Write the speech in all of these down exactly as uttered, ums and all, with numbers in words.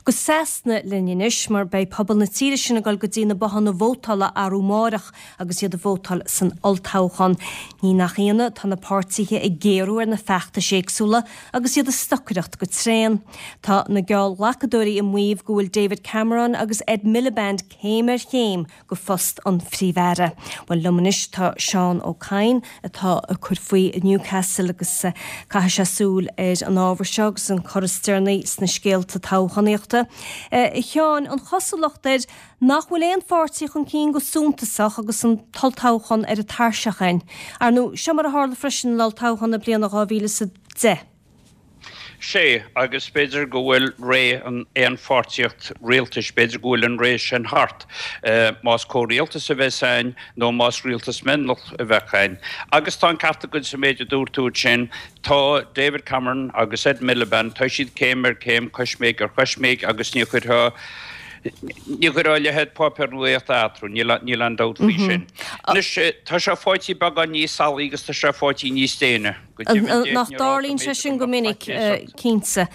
Go Sasana linn anois mar beidh pobal na tíre sin ag dul go dtí na bothanna vótála arú amárach agus iad ag vótáil san olltoghchán. Ní nach ionadh tá na páirtithe ag géarú ar na feachtais éagsúla agus iad ag stocaireacht go tréan. Tá na geallghlacadóirí ag maíomh go bhfuil David Cameron agus Ed Miliband céim ar chéim go phost an Phríomh-Aire. Well liom anois tá Seán Ó Cadhain atá ag cur faoi Newcastle agus uh, caitheann sé súil ar an ábhar seo agus an cor is deireanaí sna scéalta toghchánaíochta. Uh, Sheáin an chosúlacht air nach bhfuil aon pháirtí chun cinn go suntasach agus an t-olltoghchán ar an tairseach againn. Ar nó seo mar a tharla freisin an olltoghchán na bliana dhá mhíle is a deich. Sé agus b'fhéidir go bhfuil ré an aonpháirtíocht rialtais b'fhéidir go bhfuil an ré sin thart. Uh, más comhrialtas a bheas ann nó más rialtas mionlach a bheidh ann. Agus tá an ceart agat sa méid a dúirt tú sin tá David Cameron agus Ed Miliband tá siad céim ar céim coisméig ar choisméig agus ní chuirfeá ní chuirfeá a leithéid páipéar nuachta eatarthu, níl aon dabht faoi sin. Anois tá sé fáite beagán níos salaí agus tá sé fáite níos déine. Nach dtarlaíonn sé sin go minic cinnte.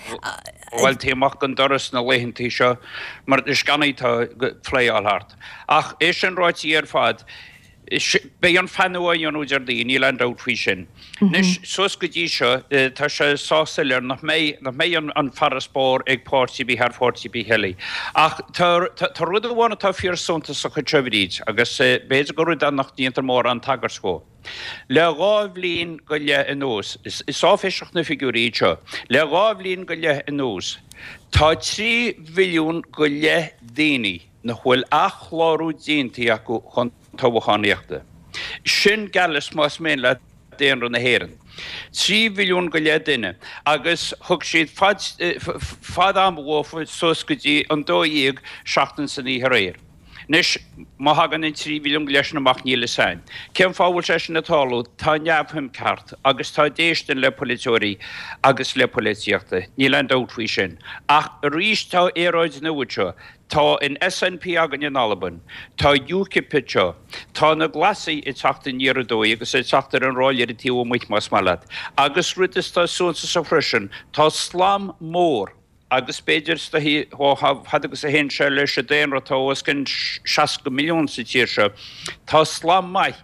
Bhuel téigh amach an doras na laethanta seo mar is scannaí tá flyáil thart. Ach é sin ráite ar fad, beidh an feannadh á dhéanamh Déardaoin, níl aon dabht faoi sin. Anois suas go dtí seo tá sé sách soiléir nach mbeidh nach mbeidh an farasbarr ag páirtí ar bith thar pháirtí ar bith eile. Ach tá rud amháin atá fíor suntasach anseo Bríd, agus b'fhéidir gur rud é nach ndéantar mórán tagairt dhó. Le dhá bhliain go leith anuas, is áiféiseach na figiúirí iad seo, le dhá bhliain go leith anuas, tá trí mhilliún go leith daoine nach bhfuil athchlárú déanta acu chun toghchánaíochta. Sin geall leis más mian leat daonra na hÉireann. Trí mhilliún go leith duine agus thug siad fad fad ama dhófa suas go dtí an dó dhéag seachtain san oíche aréir. Anois, má thagann an trí mhilliún go leith sin amach níl fhios a'inn. Cén fáth a bhfuil sé sin ag tarlú? Tá neamhshuim ceart agus tá déistin le polaiteoirí agus le polaitíochta. Níl aon dabht faoi sin. Ach arís tá aeráid nua anseo. Tá an SNP againn in Albain. Tá UKIP anseo. Tá na Glasaigh ag teacht aniar aduaidh agus ag teacht ar an ráillire taobh amuigh más maith leat. Agus rud is tá suntasach freisin, tá slám mór agus b'fhéidir is dóichí ó fad agus a théann sé leis an daonra atá os cionn seasca milliún sa tír seo, tá slám maith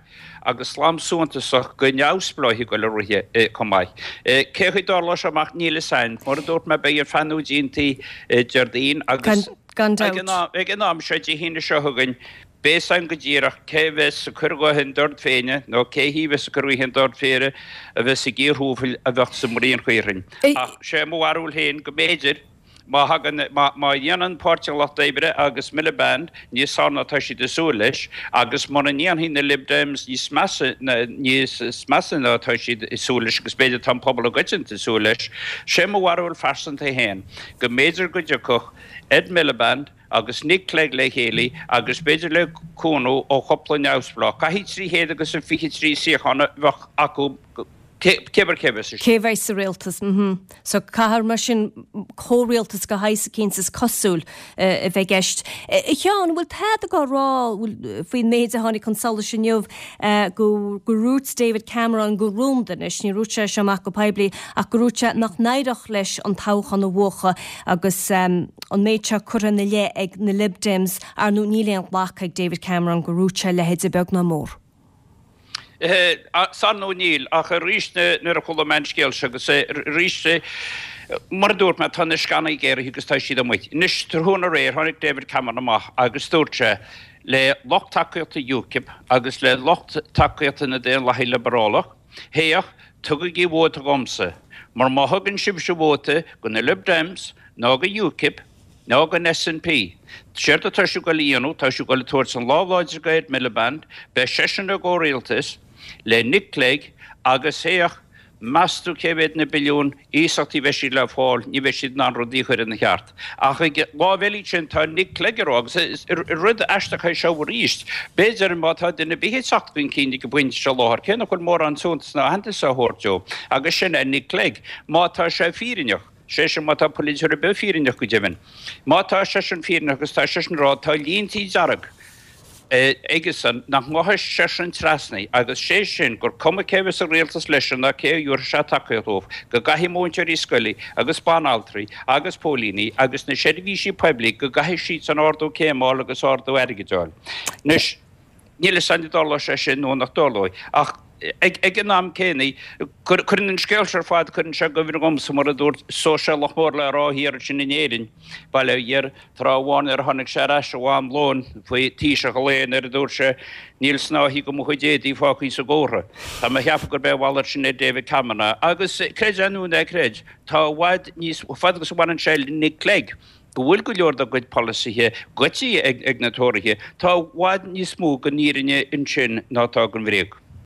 agus slám suntasach de neamhspleáigh ag dul ag rith chomh maith. Cé chaoi a dtarlóidh sé amach níl fhios a'inn. Mar a dúirt mé beidh an feannadh déanta Déardaoin agus Gan dabht. ag an am seo Dé hAoine seo chugainn beidh fhios a'inn go díreach cé a bheas ag cur a ghuth i ndord péine nó cé hí a bheas ag cur a ghuth i ndord péire a bheas ag iarrthóir a bheadh sa mbraon chaorthainn. Ach sé mo bharúil féin go mb'fhéidir má thagann má dhéanann Páirtí an Lucht Oibre agus Miliband níos fearr ná tá siad ag súil leis agus mura ndéanfaidh na Lib Dems níos measa níos measa ná tá siad ag súil leis agus b'fhéidir tá an pobal i gcoitinne ag súil leis, sé mo bharúil phearsanta féin go mb'fhéidir go dtiocfadh Ed Miliband agus Nick Clegg le chéile agus b'fhéidir le cúnamh ó chúpla neamhspleách. Caithfidh trí chéad agus a fiche trí suíochán a bheadh acu cé bhur cé bheas Cé bheidh sa rialtas? Mm So caithfear mar sin comhrialtas de shaghas eicínt is cosúil a bheith i gceist. A Sheáin, bhfuil tada á rá faoin méid a tháinig chun solais inniu go go ndúirt David Cameron go rúnda anois, ní dúirt sé seo amach go poiblí ach go ndúirt sé nach n-éireodh leis an toghchán a bhuachan agus um, an méid seo curtha ina leith ag na Lib Dems ar nó níl aon ghlacadh ag David Cameron go ndúirt sé a leithéid beag ná mór. San nó níl ach arís nuair a chuala mé an scéal seo agus arís mar a dúirt mé tá na scannaí géaraithe agus tá siad amuigh. Anois tráthnóna aréir tháinig David Cameron amach agus dúirt sé le lucht tacaíochta UKIP agus le lucht tacaíochta na Daonlathaithe Liobrálach, Féach, tugaigí vóta dhomsa, mar má thugann sibhse vóta go na Lib Dems ná go UKIP ná gon SNP. Séard atá sibh ag dul a dhéanamh, tá sibh ag dul ag tabhairt an lámh láidir go Ed Miliband, beidh seisean i gcomhrialtas le Nick Clegg agus féach, meas tú cé mhéad na billiúin iasachtaí a bheidh siad le fáil, ní bheidh siad in ann rudaí a chur ina cheart. Ach ag lámh eile sin tá Nick Clegg ag rá, agus rud aisteach é seo arís, b'fhéidir má tá duine ar bith ag teacht chun cinn ag an bpointe seo láthair, cé nach bhfuil mórán suntas ná aitheantas á thabhairt dó, agus sin é Nick Clegg, má tá sé fírinneach, sé sin má tá polaiteoir ar bith fírinneach go deimhin, má tá seisean fírinneach agus tá seisean ag rá tá líntí dearg, aigesan nach ngabhfaidh seisean trasna agus sé sin gur cuma cé bheas sa rialtas leis ná cé a thabharfaidh sé tacaíocht dóibh, go gcaithfidh múinteoirí scoile agus banaltraí agus póilíní agus na seirbhísí poiblí, go gcaithfidh siadsan ardú céime a fháil agus ardú airgid a fháil. Anois, níl a fhios againn an dtarlóidh sé sin nó nach dtarlóidh ach ag an am céanna, cuireann an scéal seo ar fad, cuireann sé i gcuimhne dhomsa mar a dúirt sóisialach mór le rá thiar ansin in Éirinn, bail ó Dhia air, tráth amháin nuair a tháinig sé ar ais ó am lóin faoi Taoiseach an lae nuair a dúirt sé, Níl snáithe de mo chuid éadaí fágtha sa gcófra. Tá mé a cheapadh gurb é a mhalairt sin ar David Cameron é. Agus creid é nó ná creid, tá i bhfad níos, fad agus a bhaineann sé le Nick Clegg, go bhfuil go leor dá gcuid polasaithe goidte ag na Tóraithe, tá i bhfad níos mó den fhírinne ansin ná atá den bhréag.